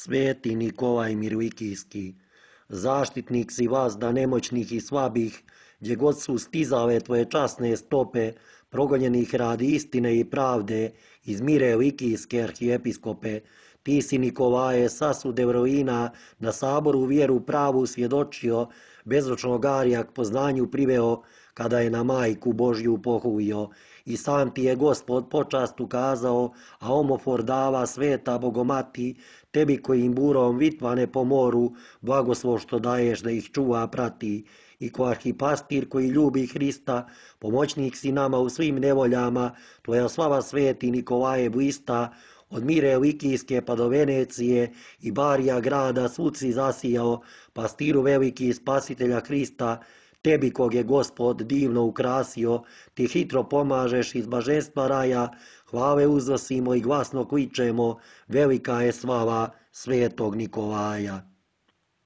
Sveti Nikolaj Mirovikijski, zaštitnik si vas da nemoćnih i slabih, gdje god su stizale tvoje časne stope, progonjenih radi istine i pravde, iz Mirovikijske arhijepiskope, ti si Nikolaje sasud Evroina na saboru vjeru pravu svjedočio, bezročnog Arija k poznanju priveo, kada je na majku Božju pohulio. I sam ti je Gospod počast ukazao, a omofor dava sveta Bogomati, tebi kojim burom vitvane po moru, blagoslov što daješ da ih čuva prati. I ko arhipastir koji ljubi Hrista, pomoćnik si nama u svim nevoljama, tvoja slava sveti Nikolaje blista, od Mirovikijske pa do Venecije i Barija grada svud si zasijao, pastiru veliki spasitelja Hrista, tebi kog je Gospod divno ukrasio, ti hitro pomažeš iz blaženstva raja, hvale uznosimo i glasno kličemo, velika je slava svetog Nikolaja.